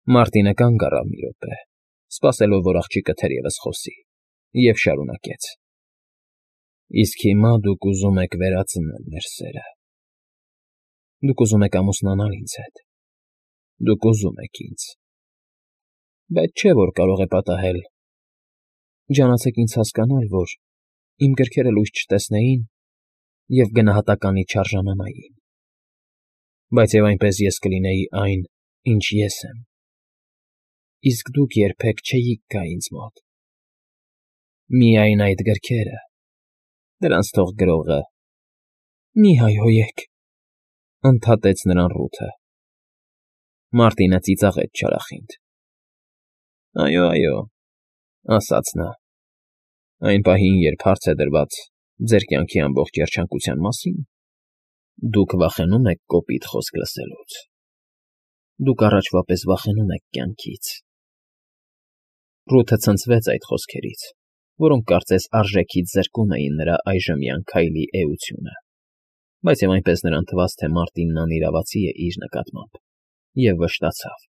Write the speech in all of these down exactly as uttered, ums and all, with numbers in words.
Մարտինը կանգ առավ մի րոպե, սպասելով, որ աղջիկը թերևս խոսի, և շարունակեց. ֊ Իսկ հիմա դուք ուզում եք վերածնել մեր սերը, դուք ուզում եք ամուսնանալ ինձ հետ, դուք ուզում եք ինձ, բայց չէ՞ որ կարող է պատահել, ջանացեք ինձ հասկանալ, որ իմ գրքերը լույս չտեսնեին և գնահատականից չարժանանային, բայց և այնպես ես կլինեի այն, ինչ ես եմ, իսկ դուք երբեք չէիք գա ինձ մոտ, միայն այդ գրքերը, դրանց թող գրողը… ֊ Մի հայհոյեք,֊ ընդհատեց նրան Ռութը։ Մարտինը ծիծաղեց չարախինդ։ ֊ Այո, այո,֊ ասաց նա,֊ այն պահին, երբ հարց է դրված ձեր կյանքի ամբողջ երջանկության մասին, դուք վախենում եք կոպիտ խոսք լսելուց, դուք առաջվա պես վախենում եք կյանքից… Ռութը ցնցվեց այդ խոսքերից, որոնք կարծես արժեքից զրկում էին նրա այժմյան քայլի էությունը, բայց և այնպես նրան թվաց, թե Մարտինն անիրավացի է իր նկատմամբ, և վշտացավ։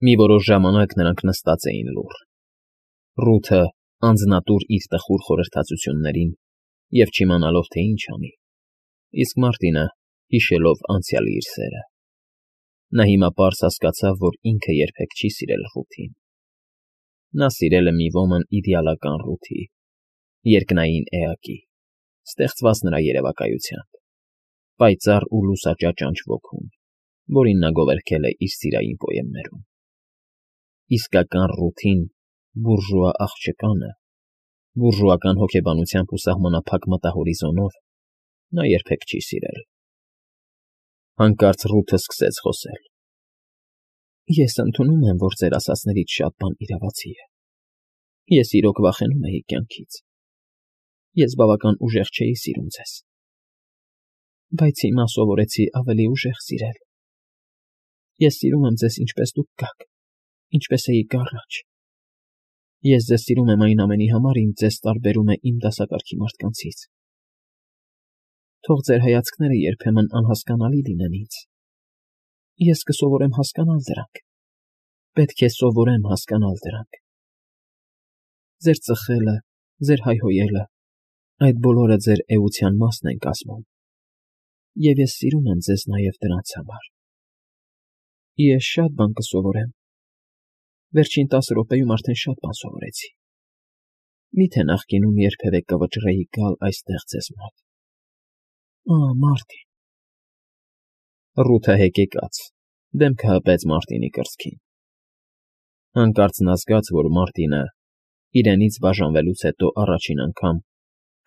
Մի որոշ ժամանակ նրանք նստած էին լուռ, Ռութը անձնատուր իր տխուր խորհրդածություններին և չիմանալով, թե ինչ անի, իսկ Մարտինը հիշելով անցյալի իր սերը… Նա հիմա պարզ հասկացավ, որ ինքը երբեք չի սիրել Ռութին. նա սիրել է մի ոմն իդեալական Ռութի, երկնային էակի, ստեղծված նրա երևակայությամբ, պայծառ ու լուսաճաճանչ ոգուն, որին նա գովերգել է իր սիրային պոեմներում… Իսկական Ռութին, բուրժուա աղջկանը, բուրժուական հոգեբանությամբ ու սահմանափակ մտահորիզոնով նա երբեք չի սիրել… Հանկարծ Ռութը սկսեց խոսել. ֊ Ես ընդունում եմ, որ ձեր ասածներից շատ բան իրավացի է, ես իրոք վախենում էի կյանքից, ես բավական ուժեղ չէի սիրում ձեզ, բայց հիմա սովորեցի ավելի ուժեղ սիրել… Ես սիրում եմ ձեզ, ինչպես դուք կաք, ինչպես էիք առաջ… Ես ձեզ սիրում եմ այն ամենի համար, ինչ ձեզ տարբերում է իմ դասակարգի մարդկանցից… Թող ձեր հայացքները երբեմն անհասկանալի լինեն ինձ… Ես կսովորեմ հասկանալ դրանք, պետք է սովորեմ հասկանալ դրանք… Ձեր ծխելը, ձեր հայհոյելը, այդ բոլորը ձեր էության մասն են կազմում, և ես սիրում եմ ձեզ նաև դրանց համար… Ես շատ բան կսովորեմ, վերջին տասը րոպեում արդեն շատ բան սովորեցի… Մի՞թե նախկինում երբևէ կվճռեի գալ այստեղ ձեզ մոտ… Ահ, Մարտին… Ռութը հեկեկաց, դեմքը հպեց Մարտինի կրծքին… Հանկարծ նա զգաց, որ Մարտինը, իրենից բաժանվելուց հետո առաջին անգամ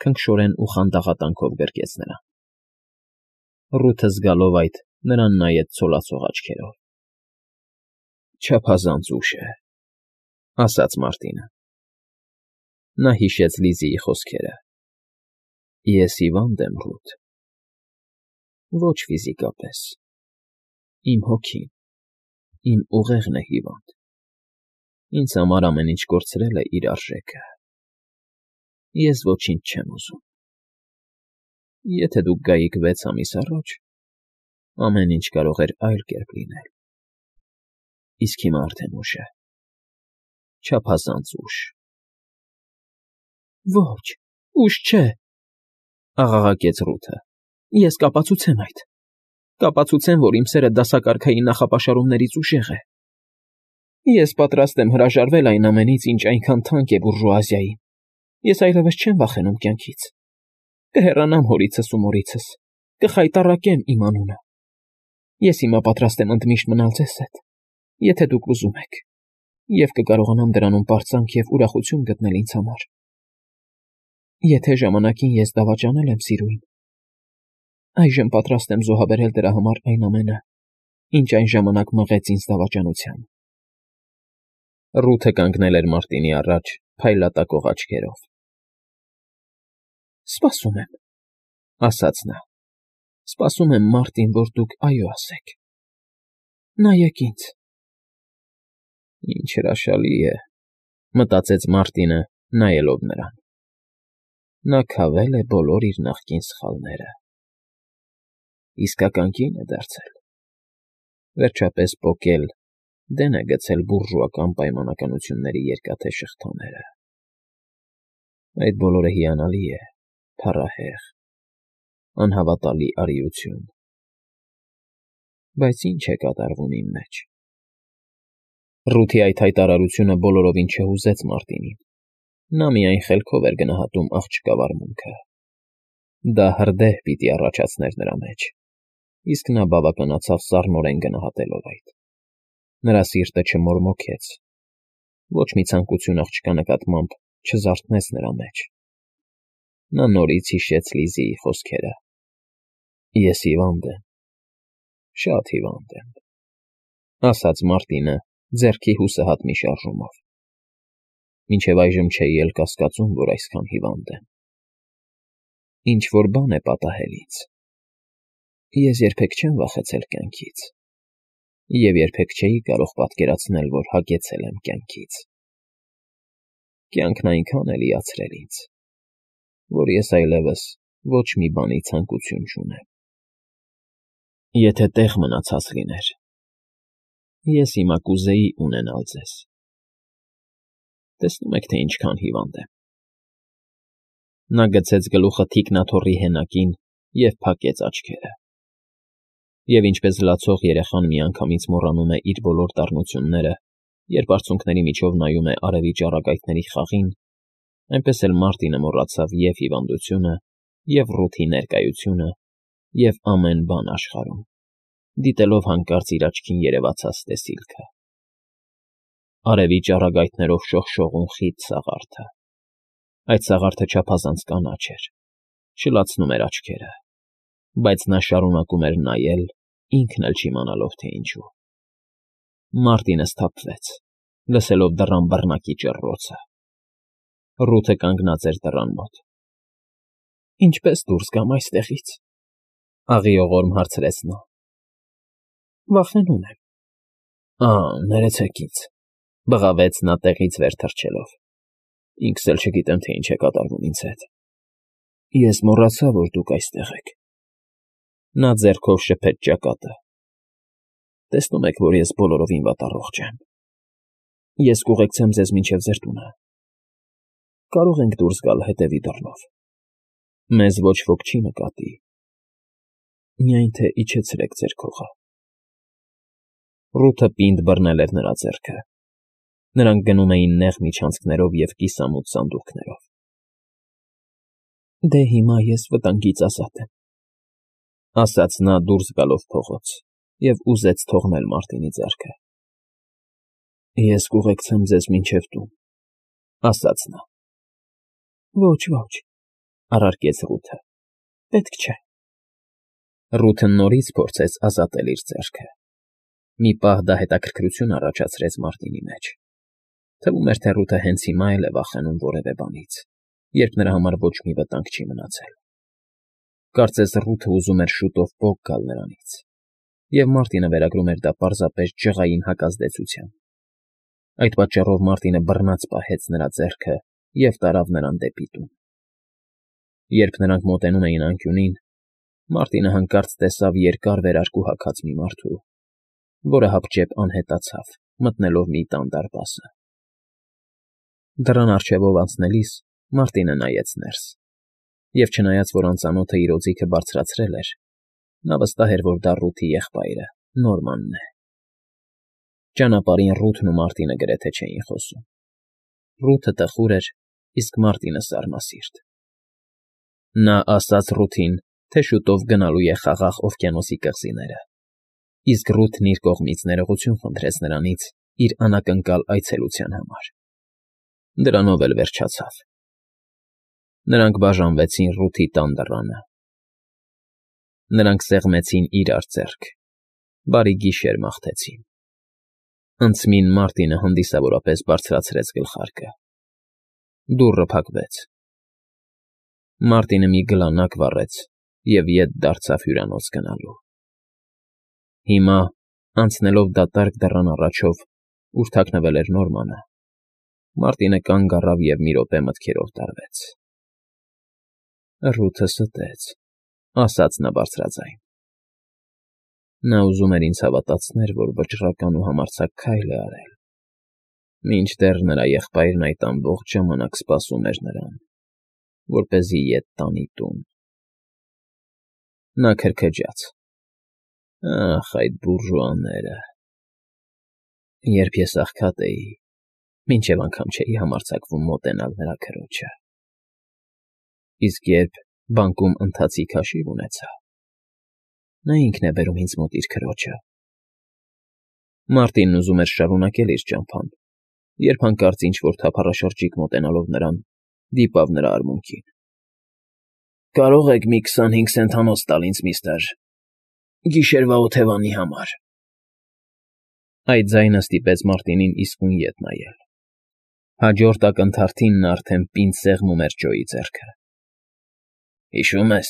քնքշորեն ու խանդաղատանքով գրկեց նրան… Ռութը զգալով այդ, նրան նայեց ցոլացող աչքերով։ ֊ Չափազանց ուշ է,֊ ասաց Մարտինը։ Նա հիշեց Լիզիի խոսքերը. «Ես հիվանդ եմ, Ռութ»… Ոչ ֆիզիկապես, իմ հոգին, իմ ուղեղն է հիվանդ, ինձ համար ամեն ինչ կորցրել է իր արժեքը… Ես ոչինչ չեմ ուզում… Եթե դուք գայիք վեց ամիս առաջ, ամեն ինչ կարող էր այլ կերպ լինել… Իսկ հիմա արդեն ուշ է… չափազանց ուշ… ֊ Ոչ, ուշ չէ,֊ աղաղակեց Ռութը,֊ ես կապացուցեմ այդ… Կապացուցեմ, որ իմ սերը դասակարգային նախապաշարումներից ուժեղ է… Ես պատրաստ եմ հրաժարվել այն ամենից, ինչ այնքան թանկ է բուրժուազիային… Ես այլևս չեմ վախենում կյանքից… Կհեռանամ հորիցս ու մորիցս, կխայտառակեմ իմ անունը… Ես հիմա պատրաստ եմ ընդմիշտ մնալ ձեզ հետ, եթե դուք ուզում եք, և կկարողանամ դրանում պարծանք և ուրախություն գտնել ինձ համար… Եթե ժամանակին ես դավաճանել եմ սիրուն, այժմ պատրաստ եմ զոհաբերել դրա համար այն ամենը, ինչ այն ժամանակ մղեց ինձ դավաճանության… Ռութը կանգնել էր Մարտինի առաջ փայլատակող աչքերով։ ֊ Սպասում եմ,֊ ասաց նա,֊ սպասում եմ, Մարտին, որ դուք այո ասեք… Նայեք ինձ… Ինչ հրաշալի է,֊ մտածեց Մարտինը, նայելով նրան… Նա քավել է բոլոր իր նախկին սխալները… Իսկական կին է դարձել… Վերջապես պոկել դեն է գցել բուրժուական պայմանականությունների երկաթե շղթաները։ Այդ բոլորը հիանալի է, փառահեղ, անհավատալի արիություն։ Բայց ի՞նչ է կատարվում իմ մեջ։ Ռութի այդ հայտարարությունը բոլորովին չհուզեց Մարտինին։ Նա միայն խելքով էր գնահատում աղջկա վարմունքը։ Դա հրդեհ պիտի առաջացներ նրա մեջ, իսկ նա բավականացավ սառնորեն գնահատելով այդ։ Նրա սիրտը չմորմոքեց, ոչ մի ցանկություն աղջկա նկատմամբ չզարթնեց նրա մեջ։ Նա նորից հիշեց Լիզիի խոսքերը. «Ես հիվանդ եմ, շատ հիվանդ եմ», ասաց Մարտինը ձեռքի հուսահատ մի շարժումով։ Մինչև այժմ չէի էլ կասկածում, որ այսքան հիվանդ եմ։ Ինչ-որ բան է պատահել ինձ։ Ես երբեք չեմ վախեցել կյանքից, և երբեք չէի կարող պատկերացնել, որ հագեցել եմ կյանքից։ Կյանքն այնքան է լիացրել ինձ, որ ես այլևս ոչ մի բանի ցանկություն չունեմ։ Եթե տեղ մնացած լիներ, ես հիմա կուզեի ունենալ ձեզ։ Տեսնում եք, թե ինչքան հիվանդ եմ։ Նա գցեց գլուխը թիկնաթոռի հենակին և փակեց աչքերը։ Եվ ինչպես լացող երեխան միանգամից մոռանում է իր բոլոր դառնությունները, երբ արցունքների միջով նայում է արևի ճառագայթների խաղին, այնպես էլ Մարտինը մոռացավ և հիվանդությունը, և Ռութի ներկայությունը, և ամեն բան աշխարհում, դիտելով հանկարծ իր աչքին երևացած տեսիլքը։ Արևի ճառագայթներով շողշողուն խիտ սաղարթը։ Այդ սաղարթը չափազանց կանաչ էր, շլացնում էր աչքերը, բայց նա շարունակում էր նայել, ինքն էլ չիմանալով, թե ինչու։ Մարտինը սթափվեց, լսելով դռան բռնակի ճռռոցը։ Ռութը կանգնած էր դռան մոտ։ «Ինչպե՞ս դուրս գամ այստեղից», աղիողորմ հարցրեց նա։ «Վախենում եմ»։ «Ա՜, ներեցեք ինձ», բղավեց նա տեղից վեր թռչելով։ «Ինքս էլ չգիտեմ, թե ինչ է կատարվում ինձ հետ։ Ես մոռացա, որ դուք այստեղ եք»։ Նա ձեռքով շփեց ճակատը։ «Տեսնում եք, որ ես բոլորովին վատառողջ եմ։ Ես կուղեկցեմ ձեզ մինչև ձեր տունը։ Կարող ենք դուրս գալ հետևի դռնով։ Մեզ ոչ ոք չի նկատի, միայն թե իջեցրեք ձեր քողը»։ Ռութը պինդ բռնել էր նրա ձեռքը։ Նրանք գնում էին նեղ միջանցքներով և կիսամութ սանդուղքներով։ «Դե հիմա ես վտանգից ազատ եմ», ասաց նա դուրս գալով փողոց, և ուզեց թողնել Մարտինի ձեռքը։ «Ես կուղեկցեմ ձեզ մինչև տուն», ասաց նա։ «Ոչ, ոչ», առարկեց Ռութը, «պետք չէ»։ Ռութը նորից փորձեց ազատել իր ձեռքը։ Մի պահ դա հետաքրքրություն առաջացրեց Մարտինի մեջ։ Թվում էր, թե Ռութը հենց հիմա էլ է վախենում որևէ բանից, երբ նրա համար ոչ մի վտանգ չի մնացել։ Կարծես Ռութը ուզում էր շուտով պոկ գալ նրանից, և Մարտինը վերագրում էր դա պարզապես ջղային հակազդեցության։ Այդ պատճառով Մարտինը բռնած պահեց նրա ձեռքը և տարավ նրան դեպի տուն։ Երբ նրանք մոտենում էին անկյունին, Մարտինը հանկարծ տեսավ երկար վերարկու հագած մի մարդու, որը հապճեպ անհետացավ, մտնելով մի տան դարպասը։ Դռան առջևով անցնելիս Մարտինը նայեց ներս, և չնայած որ անծանոթը իր օձիքը բարձրացրել էր, նա վստահ էր, որ դա Ռութի եղբայրը՝ Նորմանն է։ Ճանապարհին Ռութն ու Մարտինը գրեթե չէին խոսում։ Ռութը տխուր էր, իսկ Մարտինը սառնասիրտ։ Նա ասաց Ռութին, թե շուտով գնալու է Խաղաղ օվկիանոսի կղզիները, իսկ Ռութն իր կողմից ներողություն խնդրեց նրանից իր անակնկալ այցելության համար։ Դրանով էլ վերջացավ։ Նրանք բաժանվեցին Ռութի տան դռանը։ Նրանք սեղմեցին իրար ձեռք, բարի գիշեր մաղթեցին։ Անցմին Մարտինը հանդիսավորապես բարձրացրեց գլխարկը։ Դուռը փակվեց։ Մարտինը մի գլանակ վառեց և ետ դարձավ հյուրանոց գնալու։ Հիմա, անցնելով դատարկ դռան առաջով, ուր թաքնվել էր Նորմանը, Մարտինը կանգ առավ և մի րոպե մտքերով տարվեց։ «Ռութը ստեց», ասաց նա բարձրաձայն։ Նա ուզում էր ինձ հավատացնել, որ վճռական ու համարձակ քայլ է արել, մինչդեռ նրա եղբայրն այդ ամբողջ ժամանակ սպասում էր նրան, որպեսզի ետ տանի տուն։ Նա քրքջաց. «Ախ, այդ բուրժուաները… Երբ ես աղքատ էի, մինչև անգամ չէի համարձակվում մոտենալ նրա քրոջը, իսկ երբ բանկում ընթացիկ հաշիվ ունեցա, նա ինքն է բերում ինձ մոտ իր քրոջը»։ Մարտինն ուզում էր շարունակել իր ճամփան, երբ հանկարծ ինչ֊որ թափառաշրջիկ մոտենալով նրան, դիպավ նրա արմունկին։ «Կարո՞ղ եք մի քսանհինգ սենթանոց տալ ինձ, միստր, գիշերվա օթևանի համար»։ Այդ ձայնը ստիպեց Մարտինին իսկույն ետ նայել։ Հաջորդ ակնթարթին նա արդեն պինդ սեղմում էր Ջոյի ձեռքը։ «Հիշո՞ւմ ես,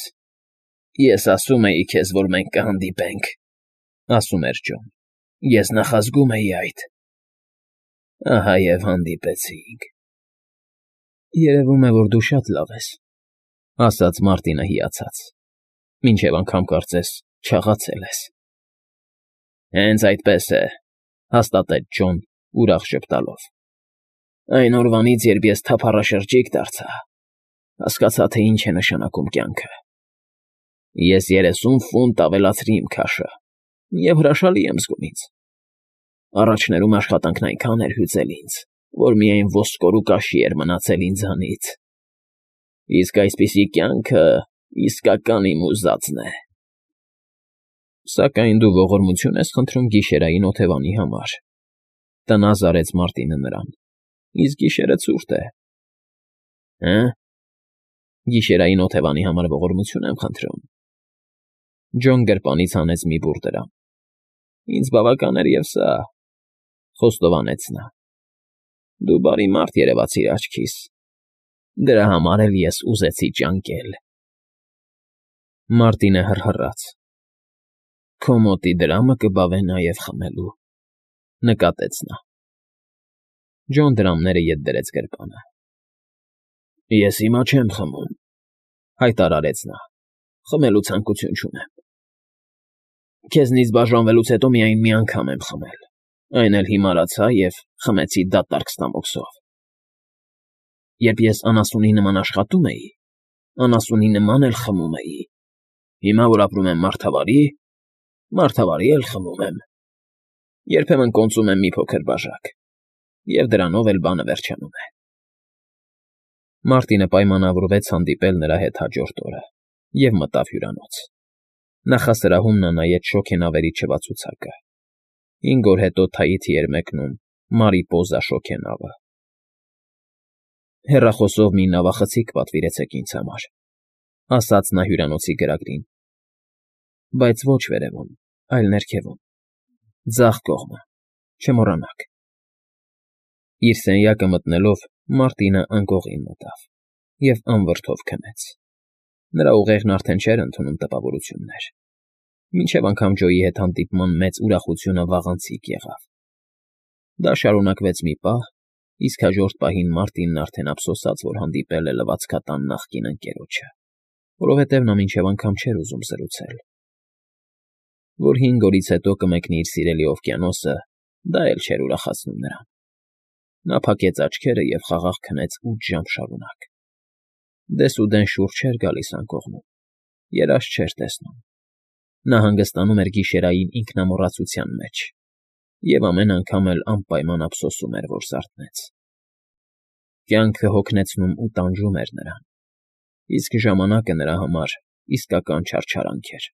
ես ասում էի քեզ, որ մենք կհանդիպենք», ֊ ասում էր Ջոն։ «Ես նախազգում էի այդ։ Ահա և հանդիպեցինք»։ «Երևում է, որ դու շատ լավ ես», ֊ ասաց Մարտինը հիացած, «մինչև անգամ կարծես չաղացել ես»։ «Հենց այդպես է», ֊ հաստատեց Ջոն, ուրախ ժպտալով։ «Այն օրվանից, երբ ես թափառաշրջիկ դարձա, հասկացա, թե ինչ է նշանակում կյանքը։ Ես երեսուն ֆունտ ավելացրի իմ քաշը և հրաշալի եմ զգում ինձ։ Առաջներում աշխատանքն այնքան էր հյուծել ինձ, որ միայն ոսկոր ու կաշի էր մնացել ինձանից։ Իսկ այսպիսի կյանքը իսկական իմ ուզածն է»։ «Սակայն դու ողորմություն ես խնդրում գիշերային օթևանի համար», ֊ տնազ արեց Մարտինը նրան, «իսկ գիշերը ցուրտ է»։ «Հը՞, գիշերային օթևանի համար ողորմություն եմ խնդրում»։ Ջոն գրպանից հանեց մի բուռ դրամ։ «Ինձ բավական էր և սա», ֊ խոստովանեց նա։ «Դու բարի մարդ երևացիր աչքիս, դրա համար էլ ես ուզեցի ճանկել»։ Մարտինը հռհռաց։ «Քո մոտի դրամը կբավե նաև խմելու», ֊ նկատեց նա։ Ջոն դրամները ետ դրեց գրպանը։ «Ես հիմա չեմ խմում», ֊ հայտարարեց նա, «խմելու ցանկություն չունեմ։ Քեզնից բաժանվելուց հետո միայն մի անգամ եմ խմել, այն էլ հիմարացա և խմեցի դատարկ ստամոքսով։ Երբ ես անասունի նման աշխատում էի, անասունի նման էլ խմում էի, հիմա, որ ապրում եմ մարդավարի, մարդավարի էլ խմում եմ։ Երբեմն կոնծում եմ մի փոքր բաժակ, և դրանով էլ բանը վերջանում է»։ Մարտինը պայմանավորվեց հանդիպել նրա հետ հաջորդ օրը և մտավ հյուրանոց։ Նախասրահում նա նայեց շոգենավերի չվացուցակը։ Հինգ օր հետո Թայիթի էր մեկնում Մարիպոզա շոգենավը։ «Հեռախոսով մի նավախցիկ պատվիրեցեք ինձ համար», ֊ ասաց նա հյուրանոցի գրագրին, «բայց ոչ վերևում, այլ ներքևում, ձախ կողմը, չմոռանաք»։ Իր սենյակը մտնելով՝ Մարտինը անկողին մտավ և անվրդով քնեց։ Նրա ուղեղն արդեն չէր ընդունում տպավորություններ։ Մինչև անգամ Ջոյի հետ հանդիպման մեծ ուրախությունը վաղանցիկ եղավ։ Դա շարունակվեց մի պահ, իսկ հաջորդ պահին Մարտինն արդեն ափսոսաց, որ հանդիպել է լվացքատան նախկին ընկերոջը, որովհետև նա մինչև անգամ չէր ուզում զրուցել։ Որ հինգ օրից հետո կմեկնի իր սիրելի օվկիանոսը, դա էլ չէր ուրախացնում նրան։ Նա փակեց աչքերը և խաղաղ քնեց ութ ժամ շարունակ։ Դեսուդեն շուռ չէր գալիս անկողնում, երազ չէր տեսնում։ Նա հանգստանում էր գիշերային ինքնամոռացության մեջ և ամեն անգամ էլ անպայման ափսոսում էր, որ զարթնեց։ Կյանքը հոգնեցնում ու տանջում էր նրան, իսկ ժամանակը նրա համար իսկական չարչարանք էր։